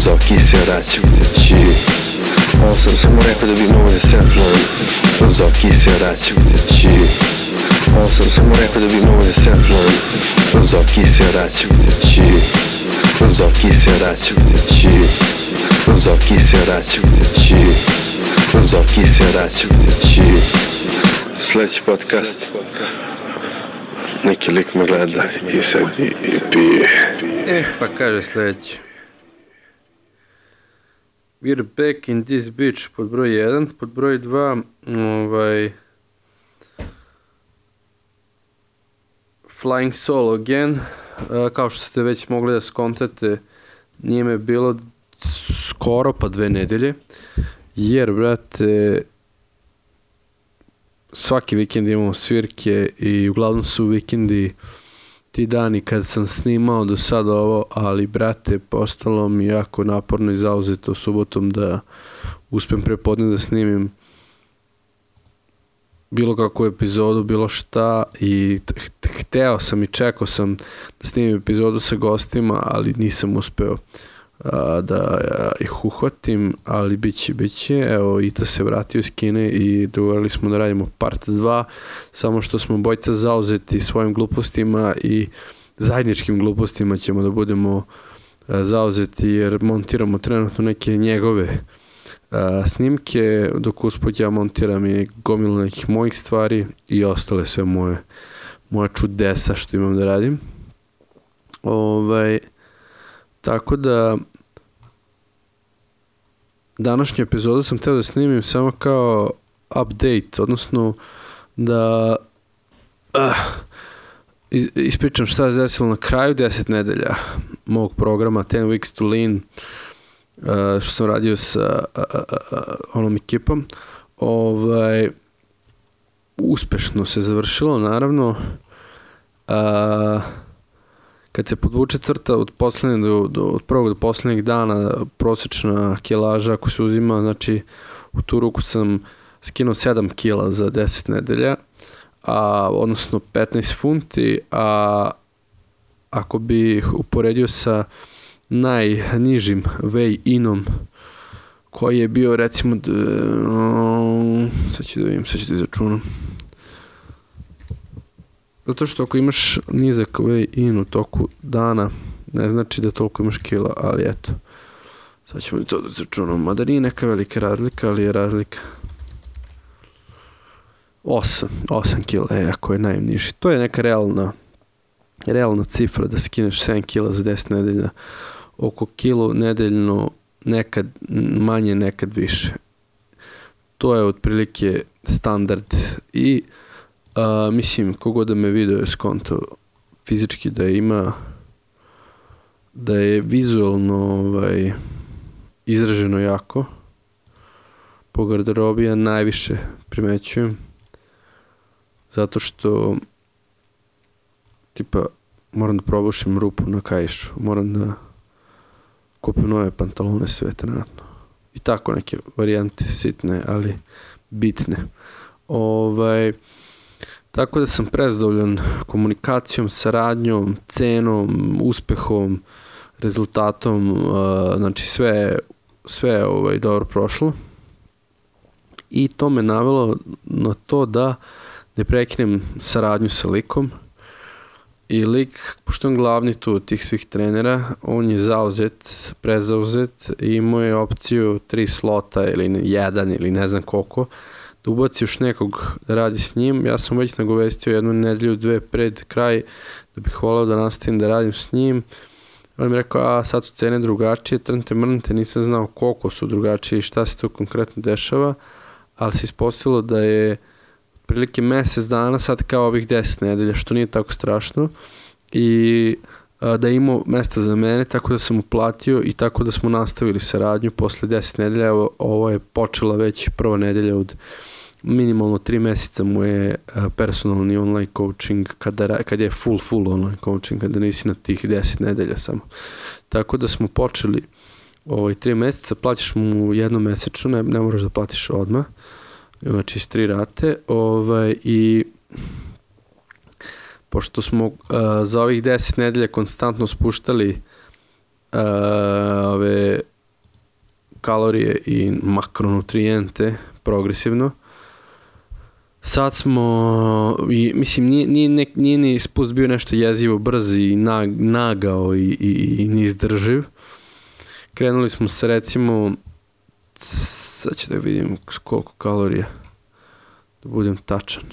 Zoki se vraćajući. Ovo sam samo rekao da bi mogo da semplujem. Zoki se vraćajući. Ovo sam samo rekao da bi mogo da semplujem. Zoki se vraćajući. Zoki se vraćajući. Zoki se vraćajući. Zoki se vraćajući. Sljedeći podcast. Neki lik me gleda i sad i pije. Pa kaže sljedeći. We're back in this bitch pod broj 1. Pod broj 2 Flying Solo again. Kao što ste već mogli da skontate, nije me bilo skoro pa 2 nedelje. Jer, brate, svaki vikend imamo svirke i uglavnom su vikendi ti dani kad sam snimao do sada ovo, ali brate, postalo mi jako naporno i zauzeto subotom da uspem prepodne da snimim bilo kakvu epizodu, bilo šta, i hteo sam i čekao sam da snimim epizodu sa gostima, ali nisam uspeo da ih uhvatim, ali biće. Evo, Ita se vratio iz Kine i dogovorili smo da radimo part 2, samo što smo bojca zauzeti svojim glupostima i zajedničkim glupostima ćemo da budemo zauzeti, jer montiramo trenutno neke njegove snimke, dok usput ja montiram i gomilu nekih mojih stvari i ostale sve moje čudesa što imam da radim. Tako da današnju epizodu sam htio da snimim samo kao update, odnosno da ispričam šta je desilo na kraju 10 nedelja mog programa 10 Weeks to Lean, što sam radio sa onom ekipom. Uspešno se završilo, naravno. Kad se podvuče crta od prvog do poslednjeg dana, prosječna kilaža ako se uzima, znači u tu ruku sam skinuo 7 kila za 10 nedelja, odnosno 15 funti, a ako bi uporedio sa najnižim weigh-inom koji je bio recimo, sad ću da izračunam. Zato što ako imaš nizak weigh-in u toku dana, ne znači da toliko imaš kila, ali eto. Sad ćemo to da izračunamo. Mada nije neka velika razlika, ali je razlika 8 kila, ako je najniži. To je neka realna cifra da skineš 7 kila za 10 nedelja. Oko kilu nedeljno, nekad manje, nekad više. To je otprilike standard i mislim, kogod da me video je skonto fizički da je vizualno izraženo jako. Po garderobi ja najviše primećujem, zato što tipa moram da probušim rupu na kaišu, moram da kupim nove pantalone, sve trenutno. I tako neke varijante sitne, ali bitne. Tako da sam prezadovoljan komunikacijom, saradnjom, cenom, uspehom, rezultatom, znači sve je dobro prošlo. I to me navelo na to da ne prekinem saradnju sa likom. I lik, pošto je on glavni tu od tih svih trenera, on je prezauzet i imao je opciju 3 slota ili 1 ili ne znam koliko, da ubaci još nekog da radi s njim. Ja sam već nagovestio 1 nedelju, 2 pred kraj da bih volao da nastavim da radim s njim. On mi rekao, sad su cene drugačije, trnite mrnite, nisam znao koliko su drugačije i šta se to konkretno dešava, ali se ispostavilo da je prilike mjesec dana sad kao ovih 10 nedelja, što nije tako strašno, i da je imao mesta za mene, tako da sam uplatio i tako da smo nastavili saradnju posle 10 nedelja. Evo, ovo je počela već prva nedelja od minimalno 3 mjeseca mu je personalni online coaching, kad je full online coaching, kada nisi na tih 10 nedelja samo. Tako da smo počeli 3 mjeseca, plaćaš mu jednomesečno, ne moraš da platiš odmah, znači iz 3 rate, i pošto smo za ovih 10 nedelja konstantno spuštali kalorije i makronutrijente progresivno. Sad smo, mislim, nije ni spust bio nešto jezivo brz i nagao i neizdrživ. Krenuli smo sa, recimo, sad ću da vidim koliko kalorija, da budem tačan.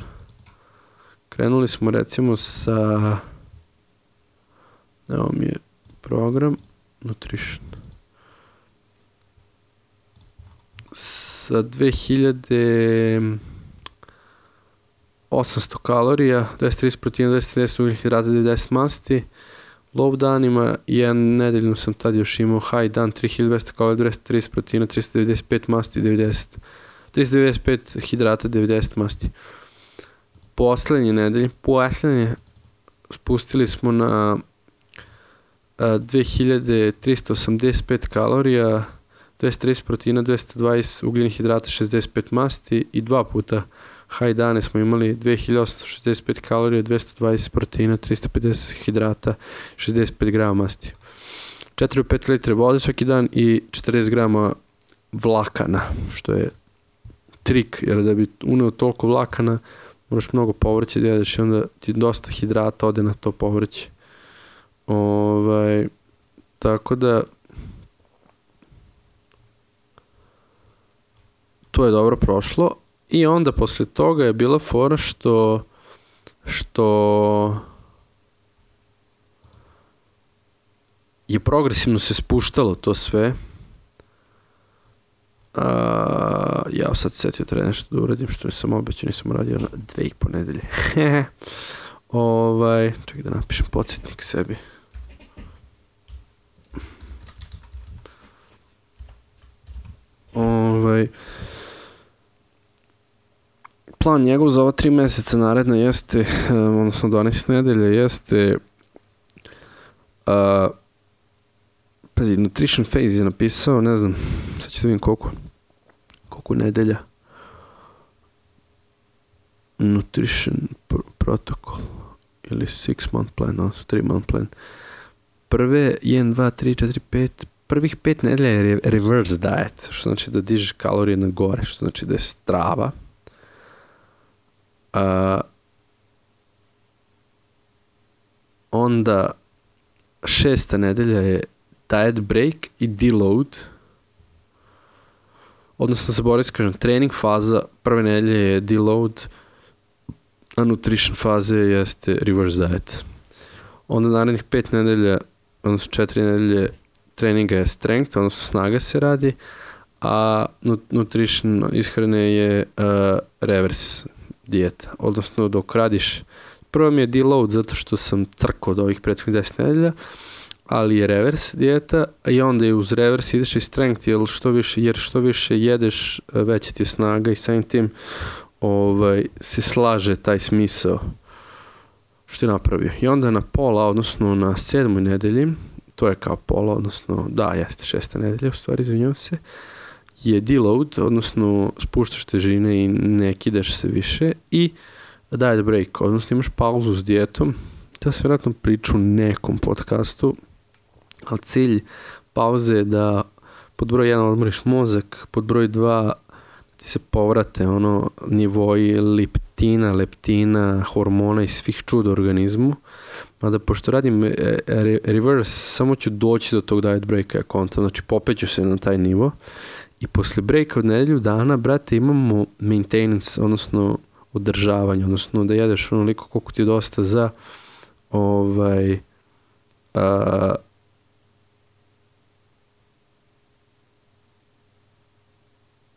Krenuli smo, recimo, sa, evo mi je program, Nutrition, sa 2800 kalorija, 230 proteina, 270 ugljenih hidrata, 90 masti. Low danima, jedan nedeljno sam tad još imao high dan, 3200 kalorija, 230 proteina, 395 masti, 395 hidrata, 90 masti. Poslednje nedelje, spustili smo na 2385 kalorija, 230 proteina, 220 ugljenih hidrata, 65 masti i 2 puta high dane smo imali 2865 kalorija, 220 proteina, 350 hidrata, 65 grama masti. 4-5 litre vode svaki dan i 40 grama vlakana, što je trik, jer da bi uneo toliko vlakana moraš mnogo povrće da jedeš i onda ti dosta hidrata ode na to povrće. Tako da to je dobro prošlo i onda posle toga je bila fora što je progresivno se spuštalo to sve. Ja sad setio treba nešto da uradim što nisam obećao, nisam uradio na 2,5 nedelje. Čekaj da napišem podsjetnik sebi. Plan njegov za ova 3 meseca naredna jeste, odnosno 12 nedelja jeste pazi, Nutrition Phase je napisao, ne znam, sad ću da vidim koliko nedelja. Nutrition Protocol ili 6 month plan, odnosno 3 month plan. Prve 1, 2, 3, 4, 5, prvih 5 nedelja je reverse diet, što znači da dižeš kalorije na gore, što znači da je strava. Onda 6. nedelja je diet break i deload, odnosno zaboravim kažem, trening faza prve nedelje je deload, a nutrition faze jeste reverse diet. Onda narednih 5 nedelja, odnosno 4 nedelje treninga je strength, odnosno snaga se radi, a nutrition ishrane je reverse dijeta, odnosno dok radiš, prvo mi je deload zato što sam crkao od ovih prethodnih 10 nedelja, ali je reverse dijeta i onda je uz reverse ideš i strength, jer što više jedeš, veća ti je snaga i samim tim se slaže taj smisao što je napravio. I onda na pola, odnosno na 7. nedelji, to je kao pola, odnosno da, jeste 6. nedelja, u stvari izvinjavam se, je deload, odnosno spuštaš težine i ne kidaš se više i diet break, odnosno imaš pauzu s dijetom. To se vjerojatno priču u nekom podcastu, ali cilj pauze je da pod broj 1 odmoriš mozak, pod broj 2 ti se povrate nivoji leptina, hormona i svih čuda u organizmu. Mada pošto radim reverse, samo ću doći do tog diet breaka konta, znači popeću se na taj nivo i posle breaka od nedelju dana, brate, imamo maintenance, odnosno održavanje, odnosno da jedeš onoliko koliko ti je dosta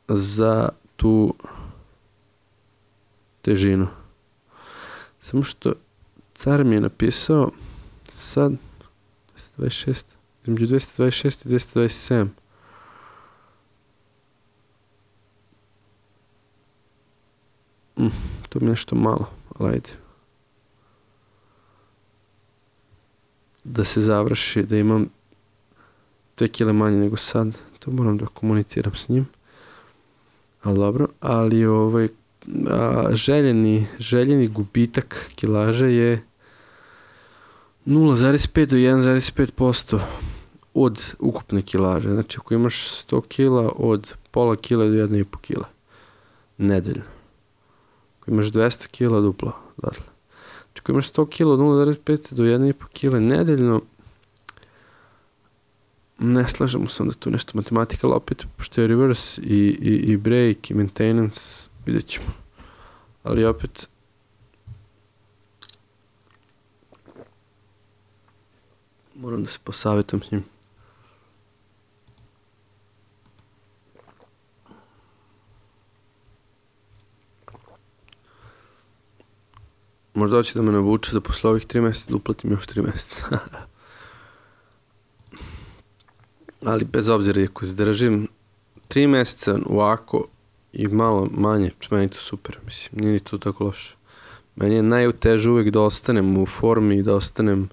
za tu težinu. Samo što car mi je napisao sad 226, između 226 i 227. To mi je nešto malo, ali ajde. Da se završi, da imam 2 kile manje nego sad, to moram da komuniciram s njim. Ali dobro, ali željeni gubitak kilaže je 0,5 do 1,5% od ukupne kilaže. Znači, ako imaš 100 kila, od pola kila do 1,5 kila nedeljno. Ako imaš 200 kila, duplo odatle. Znači, ako imaš 100 kila od 0,5 do 1,5 kila nedeljno, ne slažemo se onda tu nešto matematika, ali opet, pošto je reverse i break i maintenance, vidjet ćemo. Ali opet, moram da se posavjetujem s njim. Možda hoće da me navuče da posle ovih 3 mjeseca da uplatim još 3 mjeseca. Ali bez obzira, ako zdržim 3 mjeseca ovako i malo manje, meni je to super, mislim, nije ni to tako loše. Meni je najuteže uvijek da ostanem u formi i da ostanem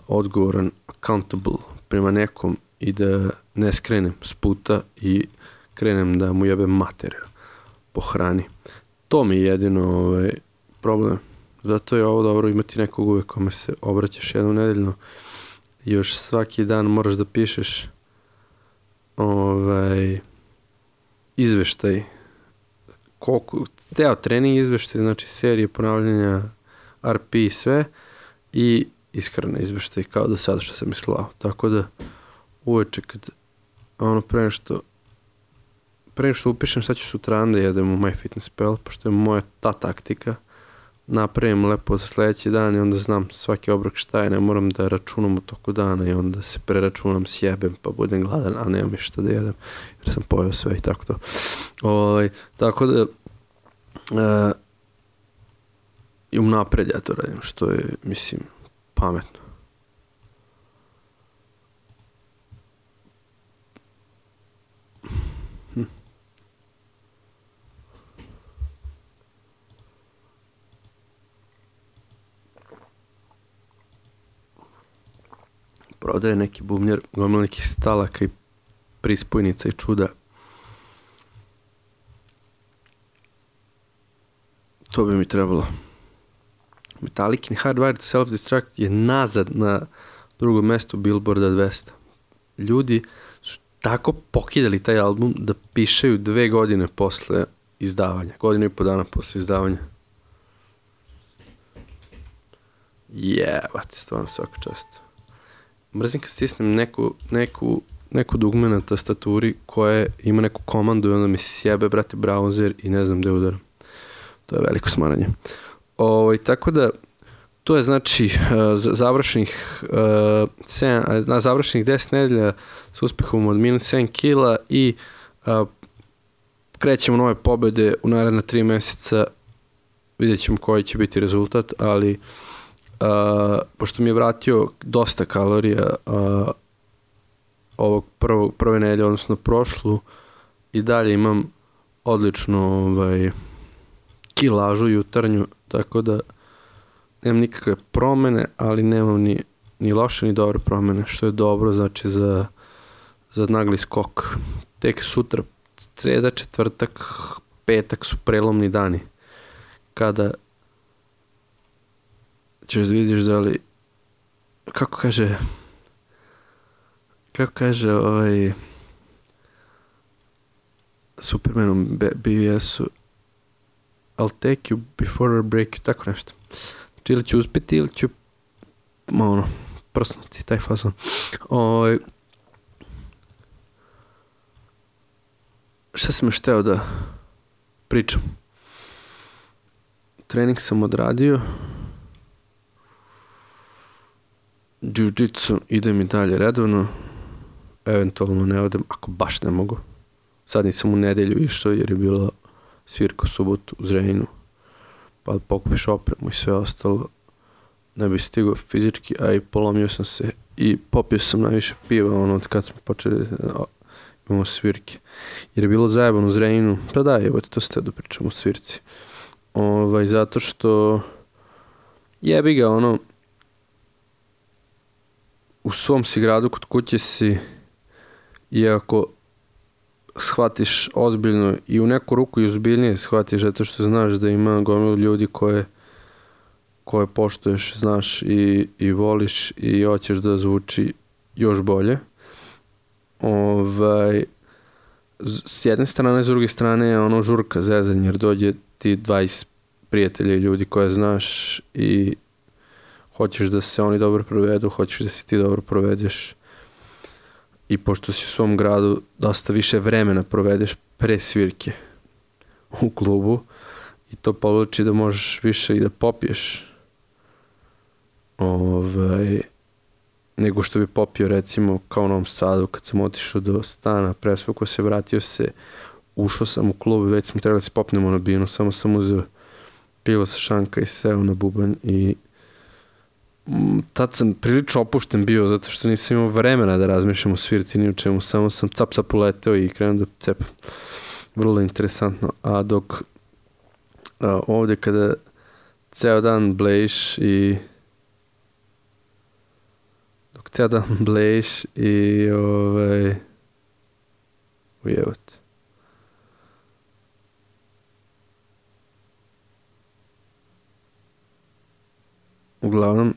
odgovoran, accountable prema nekom i da ne skrenem s puta i krenem da mu jebem mater po hrani. To mi je jedino problem. Zato je ovo dobro imati nekog uvijek kome se obraćaš jednom nedeljno. Još svaki dan moraš da pišeš izveštaj. Ceo trening izveštaj, znači serije ponavljanja, RP i sve, i iskreno izveštaj kao do sada što sam mislao. Tako da uveče kad pre što upišem šta ću sutradan da jedem u MyFitnessPal, pošto je moja ta taktika, napravim lepo za sljedeći dan i onda znam svaki obrok šta je, ne moram da računam u toku dana i onda se preračunam, sjebem pa budem gladan, a nemam šta da jedem jer sam pojeo sve i tako to. Tako da i unapred ja to radim, što je, mislim, pametno. Prodaje neki bubnjar, gomila nekih stalaka i prispojnica i čuda. To bi mi trebalo. Metallicin Hardwired to Self-Destruct je nazad na drugom mjestu Billboarda 200. Ljudi su tako pokidali taj album da pišeju 2 godine posle izdavanja. 1.5 dana posle izdavanja. Jebate, stvarno svaka čast. Mrzim kad stisnem neku dugme na tastaturi koja ima neku komandu i onda mi sjebe, brate, browser i ne znam gde udaram. To je veliko smaranje. Tako da, to je znači završenih 10 nedelja s uspehom od minus 7 kila i krećemo nove pobjede u naredna 3 mjeseca. Vidjet ćemo koji će biti rezultat, ali pošto mi je vratio dosta kalorija ovog prve nedelje, odnosno prošlu, i dalje imam odličnu kilažu jutarnju, tako da nemam nikakve promene, ali nemam ni loše ni dobre promene, što je dobro, znači za nagli skok. Tek sutra, sreda, četvrtak, petak su prelomni dani, kada ćeš da vidiš da li, kako kaže Supermanom BBS-u, I'll take you before I break you, tako nešto. Znači, ili ću uspjeti ili ću prsnuti, taj fazon. Šta sam još hteo da pričam? Trening sam odradio. Jiu-jitsu idem i dalje redovno. Eventualno ne odem, ako baš ne mogu. Sad nisam u nedelju išao jer je bila svirka u subotu u Zrenjaninu. Pa pokupiš opremu i sve ostalo. Ne bih stigao fizički, a i polomio sam se i popio sam najviše piva od kad smo počeli imamo svirke. Jer je bilo zajebano u Zrenjaninu. Pa da, evo to ste da pričamo o svirci. Zato što jebi ga u svom si gradu, kod kuće si, i ako shvatiš ozbiljno i u neku ruku i ozbiljnije shvatiš, zato što znaš da ima gomilu ljudi koje poštuješ, znaš i voliš i hoćeš da zvuči još bolje. S jedne strane, s druge strane je ono žurka, zezanje, jer dođe ti 20 prijatelja i ljudi koje znaš i hoćeš da se oni dobro provedu, hoćeš da se ti dobro provedeš i pošto si u svom gradu dosta više vremena provedeš pre svirke u klubu i to povlači da možeš više i da popiješ nego što bi popio recimo kao u Novom Sadu kad sam otišao do stana, presvukao se, vratio se, ušao sam u klub, već smo trebali da se popnemo na binu, samo sam uzeo pivo sa šanka i seo na bubanj i tad sam prilično opušten bio zato što nisam imao vremena da razmišljam o svirci ni u čemu, samo sam cap uleteo i krenuo da cepam. Vrlo interesantno. A dok ovdje kada ceo dan blejiš i ujevot. Uglavnom,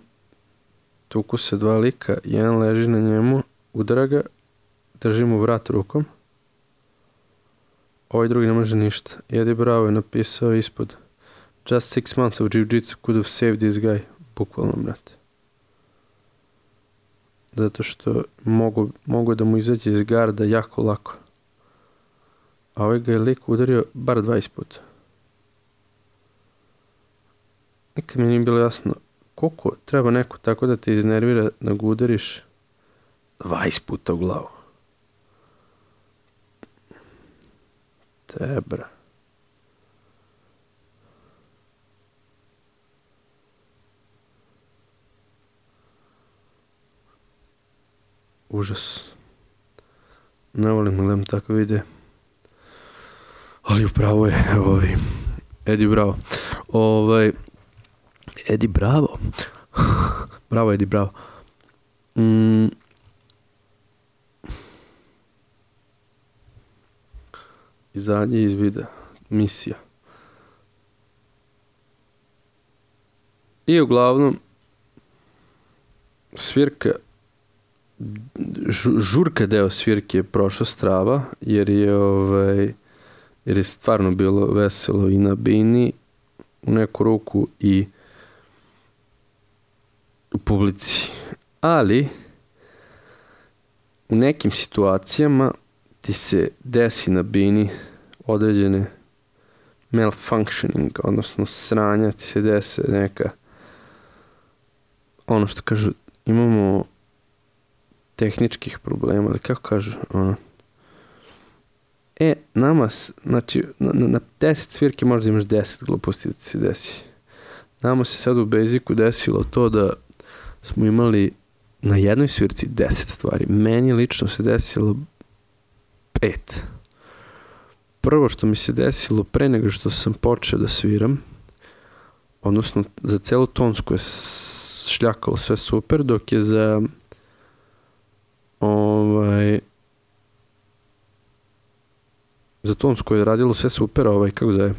tuku se dva lika, jedan leži na njemu, udara ga, drži mu vrat rukom, ovaj drugi ne može ništa. Eddie Bravo je napisao ispod Just 6 months of jiu-jitsu could have saved this guy. Bukvalno, brate. Zato što mogu da mu izađe iz garda jako lako. A ovaj ga je lik udario bar 20 puta. Nikad mi nije bilo jasno koliko treba neko tako da te iznervira da ga udariš 20 puta u glavu. Tebra. Užas. Ne volim gledam takve videe. Ali upravo je Eddie Bravo. Eddie Bravo. Bravo, Eddie Bravo. Izađe iz videa. Misija. I uglavnom svirka žurka deo svirke je prošao strava jer je stvarno bilo veselo i na bini u neku ruku i u publici, ali u nekim situacijama ti se desi na bini određene malfunctioning, odnosno sranja, ti se dese neka ono što kažu, imamo tehničkih problema, da kako kažu, nama, znači, na 10 svirke možda imaš 10 gluposti da ti se desi. Nama se sad u Basicu desilo to da smo imali na jednoj svirci 10 stvari. Meni lično se desilo 5. Prvo što mi se desilo pre nego što sam počeo da sviram, odnosno za celu tonsku je šljakalo sve super, dok je za za tonsku je radilo sve super, kako zove,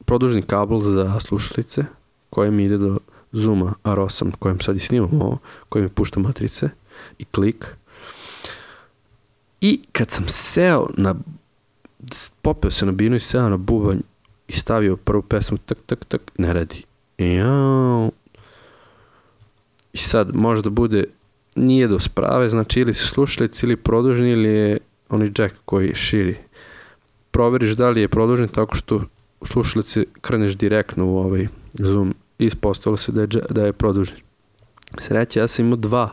produžni kabel za slušalice koje mi ide do Zooma R8 kojem sad i snimam ovo, koji mi pušta matrice i klik. I kad sam seo popeo se na binu i seo na bubanj i stavio prvu pesmu, tak, ne radi. I sad može da bude nije do sprave, znači ili su slušalice ili produžni ili je onaj jack koji širi. Proveriš da li je produžni tako što u slušalice kreneš direktno u ovaj Zoom i ispostavilo se da je produžni. Sreća, ja sam imao 2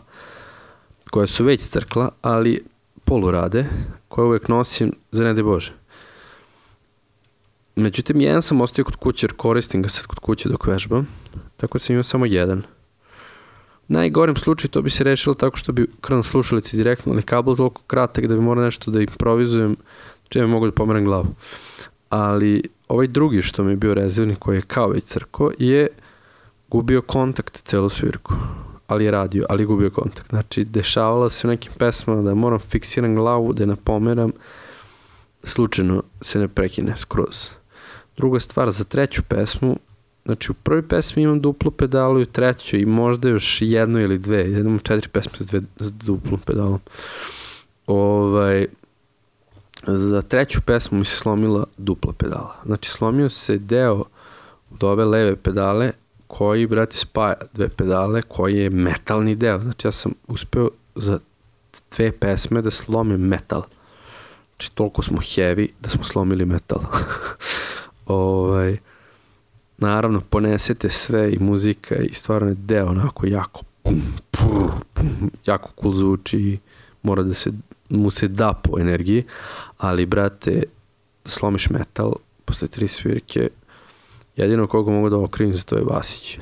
koje su već crkla, ali polurade, koje uvijek nosim za ne daj Bože. Međutim, jedan sam ostavio kod kuće jer koristim ga sad kod kuće dok vežbam, tako da sam imao samo jedan. U najgorem slučaju to bi se rešilo tako što bi krenuo slušalici direktno, ali kabel toliko kratak da bi morao nešto da improvizujem, čime mogu da pomeram glavu. Ali ovaj drugi što mi je bio rezervni, koji je kao već crko, je gubio kontakt celu svirku. Ali je radio, ali je gubio kontakt. Znači, dešavalo se u nekim pesmama da moram fiksiram glavu, da je napomeram, slučajno se ne prekine skroz. Druga stvar, za treću pesmu Znači u prvoj pesmi imam duplu pedalu i u trećoj i možda još jedno ili dve. Imam 4 pesme s duplom pedalom. Za treću pesmu mi se slomila dupla pedala. Znači slomio se deo od ove leve pedale koji, brate, spaja dve pedale, koji je metalni deo. Znači ja sam uspeo za 2 pesme da slomim metal. Znači toliko smo heavy da smo slomili metal. Naravno, ponesete sve i muzika i stvarno je deo onako jako jako cool zvuči i mora da mu se da po energiji, ali brate, slomiš metal posle 3 svirke, jedino koga mogu da okrivim za to je Vasić.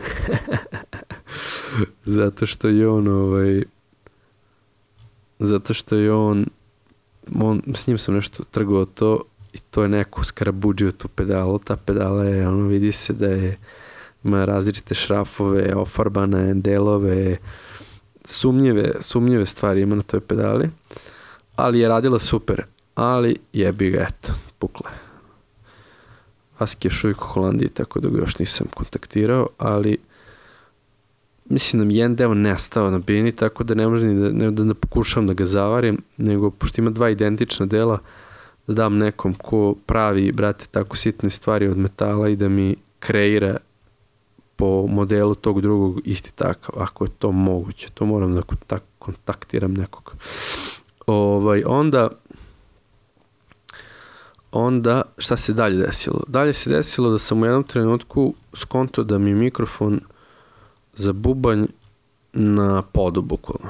Zato što je on s njim sam nešto trgovao to i to je neko skarabuđio tu pedalu. Ta pedala je, vidi se da ima različite šrafove, ofarbane delove, sumnjive stvari ima na toj pedali, ali je radila super, ali jebi ga, eto, pukla je. Vaski je još uvijek u Holandiji, tako da ga još nisam kontaktirao, ali mislim da mi jedan deo nestao na bini, tako da ne može ni da pokušavam da ga zavarim, nego pošto ima 2 identična dela, da dam nekom ko pravi, brate, tako sitne stvari od metala i da mi kreira po modelu tog drugog isti takav, ako je to moguće. To moram da kontaktiram nekog. Onda, šta se dalje desilo? Dalje se desilo da sam u jednom trenutku skonto da mi mikrofon za bubanj na podu, bukvalno.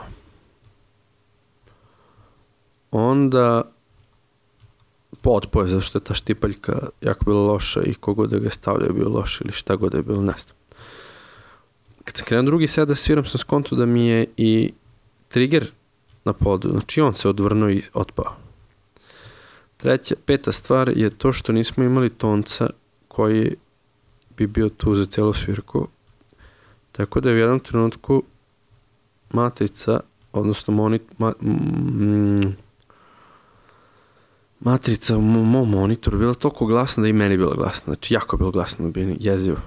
Onda potpoje, zašto je ta štipaljka jako bila loša i kogod da ga stavlja je bio loš ili šta god da je bilo, ne znam. Kad sam krenuo drugi set da sviram, sam skonto da mi je i trigger na podu, znači on se odvrnuo i otpao. Peta stvar je to što nismo imali tonca koji bi bio tu za celu svirku, tako da je u jednom trenutku matrica, odnosno matrica u mom monitoru bila toliko glasna da i meni bila glasna, znači jako je bilo glasno, bilo jezivo.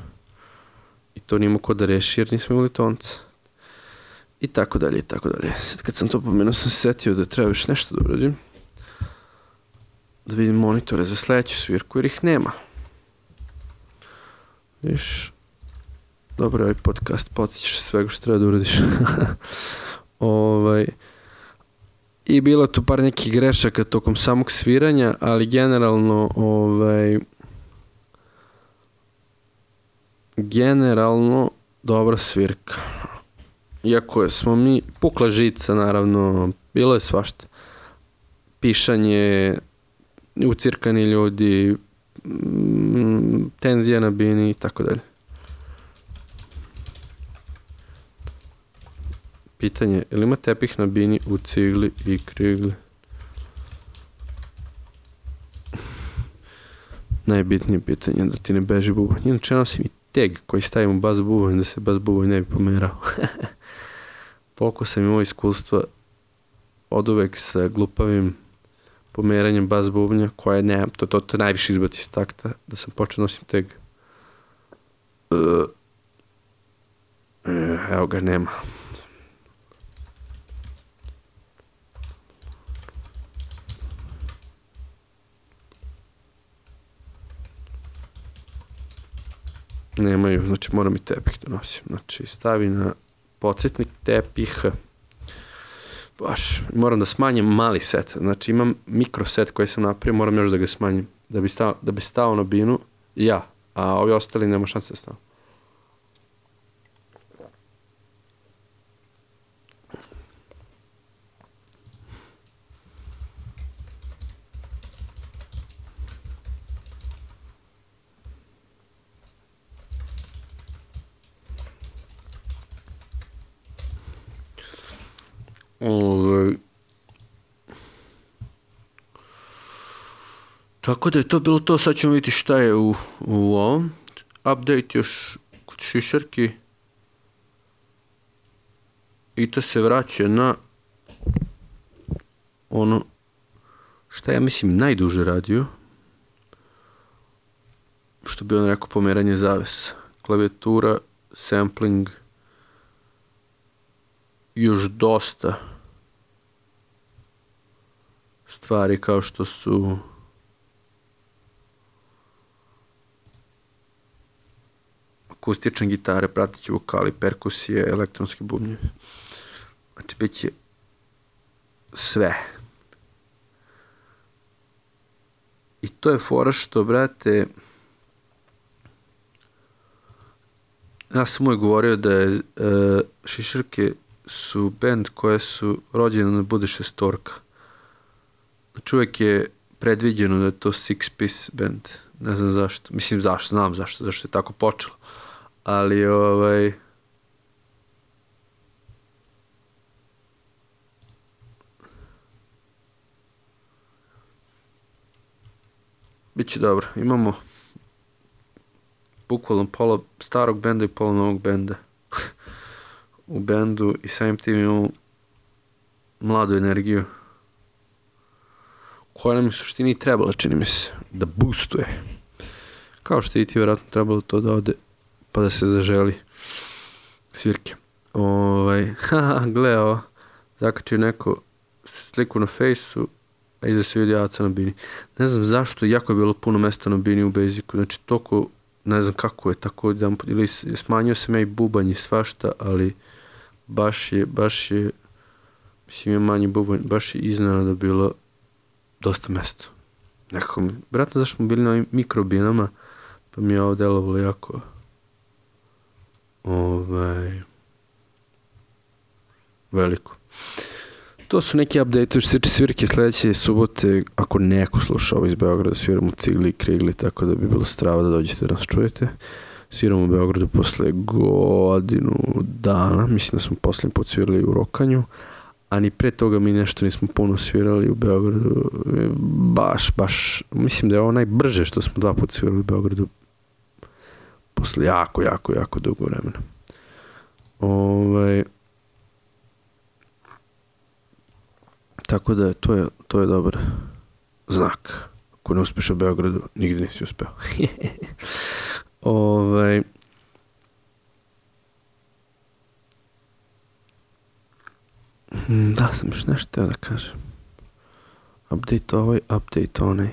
I to nimo ko da reši jer nismo imali tonca. I tako dalje, i tako dalje. Sad kad sam to pomenuo sam se setio da treba još nešto da uradim. Da vidim monitore za sledeću svirku jer ih nema. Viš, dobro, ovaj podcast podsjećaš svega što treba da uradiš. I bilo tu par nekih grešaka tokom samog sviranja, ali generalno dobra svirka. Iako smo mi, pukla žica naravno, bilo je svašta. Pišanje, ucirkani ljudi, tenzija na bini i tako dalje. Pitanje, ili ima tepih na bini u cigli i krigli? Najbitnije pitanje da ti ne beži bubanj. Inače nosim i teg koji stavim u bas bubanj da se bas bubanj ne bi pomerao. Toliko sam imao iskustva od uvek sa glupavim pomeranjem bas bubnja koje ne, to najviše izbaci iz takta, da sam počeo nosim teg. Evo ga, nema. Nemaju, znači moram i tepih da nosim. Znači stavi na podsjetnik tepih. Baš, moram da smanjim mali set. Znači imam mikro set koji sam napravio, moram još da ga smanjim. Da bi stao na binu, a ovi ostali nema šanse da stao. Tako da je to bilo to, sad ćemo vidjeti šta je u ovom. Update još kod šišarki. I to se vraća na ono šta ja mislim najduže radio. Što bi on rekao, pomeranje zavesa. klavijatura, sampling, još dosta stvari kao što su akustične gitare, prateći vokali, perkusije, elektronski bubnjevi. Znači, bit će sve. I to je fora što, brate, ja sam uvijek govorio da je Šišarke su band koje su rođene da bude šestorka. Znači, uvijek je predviđeno da je to six piece band. Ne znam zašto. Mislim, znam zašto je tako počelo. Ali, biće dobro. Imamo bukvalno pola starog benda i pola novog benda u bendu i samim tim imamo mladu energiju koja nam u suštini trebala, čini mi se, da boostuje. Kao što i ti vjerojatno trebalo to da ode pa da se zaželi svirke. Gle ovo, zakačio neko sliku na fejsu, a iza se vidi Aca na bini. Ne znam zašto, jako je bilo puno mesta na bini u Basicu, znači toliko, ne znam kako je, tako da, ili smanjio sam ja i bubanj i svašta, ali baš je, mislim je manji bubanj, baš je iznenada bilo dosta mesta. Nekako mi, vjerojatno zašto smo bili na ovim mikrobinama, pa mi je ovo delovalo jako veliko. To su neki update što se tiče svirke sledeće subote, ako neko sluša ovo iz Beograda, sviramo Cigli i Krigli, tako da bi bilo strava da dođete da nas čujete. Sviramo u Beogradu posle godinu dana, mislim da smo posljednji put svirali u Rokanju, a ni pre toga mi nešto nismo puno svirali u Beogradu, baš, mislim da je ovo najbrže što smo 2 puta svirali u Beogradu posle jako dugo vremena. Tako da to je dobar znak. Ako ne uspeš u Beogradu, nigde nisi uspeo. Da, sam još nešto teo da kažem. Update ovaj, update onaj.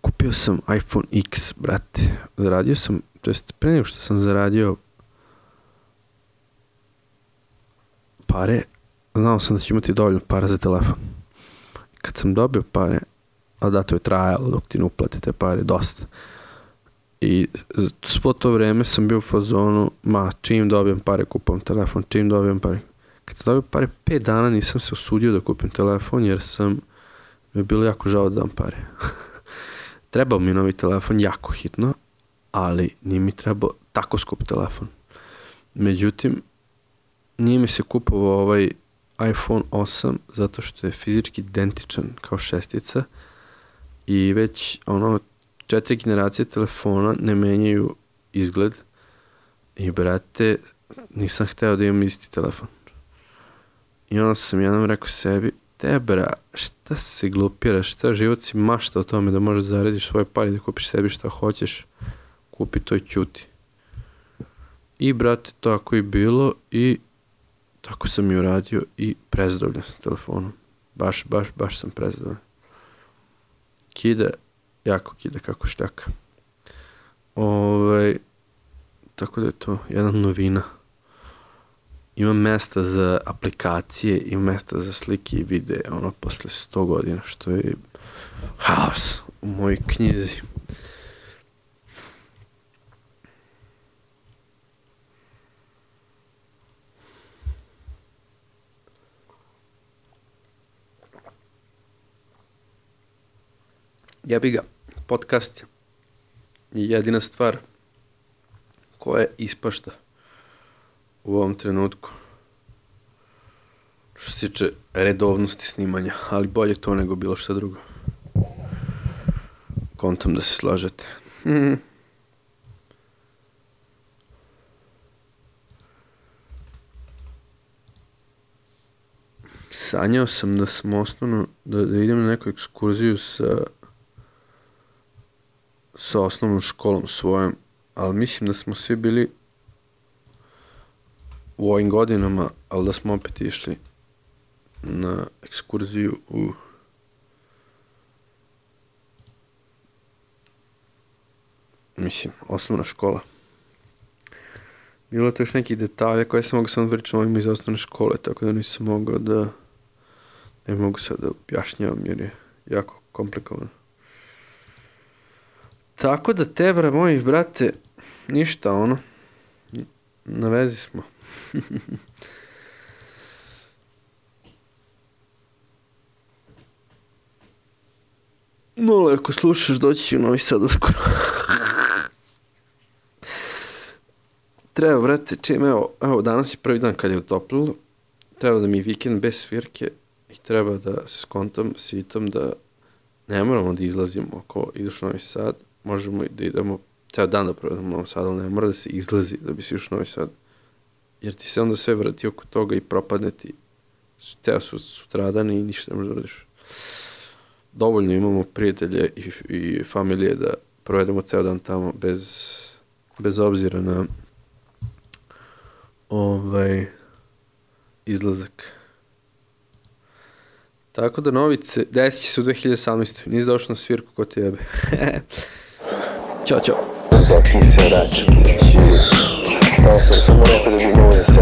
Kupio sam iPhone X, brate. Zaradio sam, to jest pre nego što sam zaradio pare, znao sam da ću imati dovoljno para za telefon. Kad sam dobio pare, a da, to je trajalo dok ti ne uplate te pare, dosta. I svo to vreme sam bio u fazonu, čim dobijem pare, kupam telefon, čim dobijem pare. Kad sam dobio pare, 5 dana nisam se usudio da kupim telefon, jer mi je bilo jako žao da dam pare. Trebao mi novi telefon, jako hitno, ali nije mi trebao tako skup telefon. Međutim, nije mi se kupovao ovaj iPhone 8 zato što je fizički identičan kao 6 i već 4 generacije telefona ne menjaju izgled i brate, nisam hteo da imam isti telefon. I onda sam jednom rekao sebi, bra, šta se glupiraš, šta život si mašta o tome da možeš zaradiš svoje pare, da kupiš sebi šta hoćeš, kupi to i ćuti. I brate, tako je bilo i tako sam i uradio i prezadovoljan sam telefonom. Baš sam prezadovoljan. Kida, jako kida kako šljaka. Tako da je to jedna novina. Ima mesta za aplikacije, ima mesta za slike i videe, posle 100 godina, što je haos u mojoj knjizi. Jebi ga, podcast je jedina stvar koja ispašta u ovom trenutku što se tiče redovnosti snimanja, ali bolje to nego bilo šta drugo. Kontam da se slažete. Sanjao sam da sam osnovno, da idem na neku ekskurziju sa osnovnom školom svojom ali mislim da smo svi bili u ovim godinama, ali da smo opet išli na ekskurziju u osnovna škola. Bilo je to još neki detalje koje sam mogao samo pričati ovim iz osnovne škole, tako da nisam mogao da ne mogu sad da objašnjavam jer je jako komplikovano. Tako da tebra moji brate, ništa ono, na vezi smo. No, ako slušaš, doći ću u Novi Sad uskoro. Treba, brate, evo, danas je prvi dan kad je utoplilo, treba da mi vikend bez svirke i treba da se skontam s Itom da ne moramo da izlazimo ako ideš u Novi Sad, možemo i da idemo ceo dan da provedemo u Novom Sadu, ali ne mora da se izlazi da bi si još u Novi Sad, jer ti se onda sve vrati oko toga i propadne ti ceo sutradan i ništa ne možeš da radiš. Dovoljno imamo prijatelje i familije da provedemo ceo dan tamo bez obzira na izlazak. Tako da Novice, desit će se u 2018. Nisi došao na svirku ko ti jebe. Ćao, čao. Zoki se vraća. Samo rekao da bi mogu da se